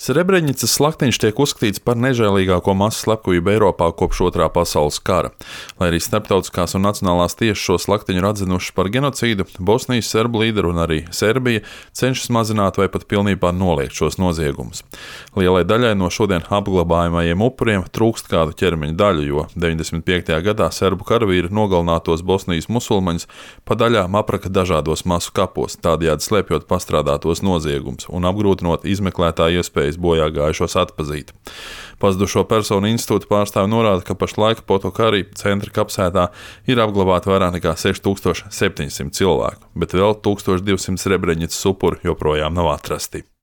Srebrenicas slaktiņš tiek uzskatīts par nežēlīgāko masu slepkavību Eiropā kopš Otrā pasaules kara. Lai arī starptautiskās un nacionālās tiesas šo slaktiņu ir atzinušas par genocīdu, Bosnijas serbu līderi un arī Serbija cenšas mazināt vai pat pilnībā noliegt šos noziegumus. Lielai daļai no šodien apglabājamajiem upuriem trūkst kādu ķermeņa daļu, jo 95. gadā serbu karavīri nogalinātos Bosnijas musulmaņus pa daļām apraka dažādos masu kapos, tādējādi slēpjot pastrādātos noziegumus un apgrūtinot izmeklētāju iespējas bojā gājušos atpazīt. Pazudušo personu institūta pārstāvi norāda, ka pašlaik Potokari centra kapsētā ir apglabāti vairāk nekā 6700 cilvēku, bet vēl 1200 Srebrenicas upuri joprojām nav atrasti.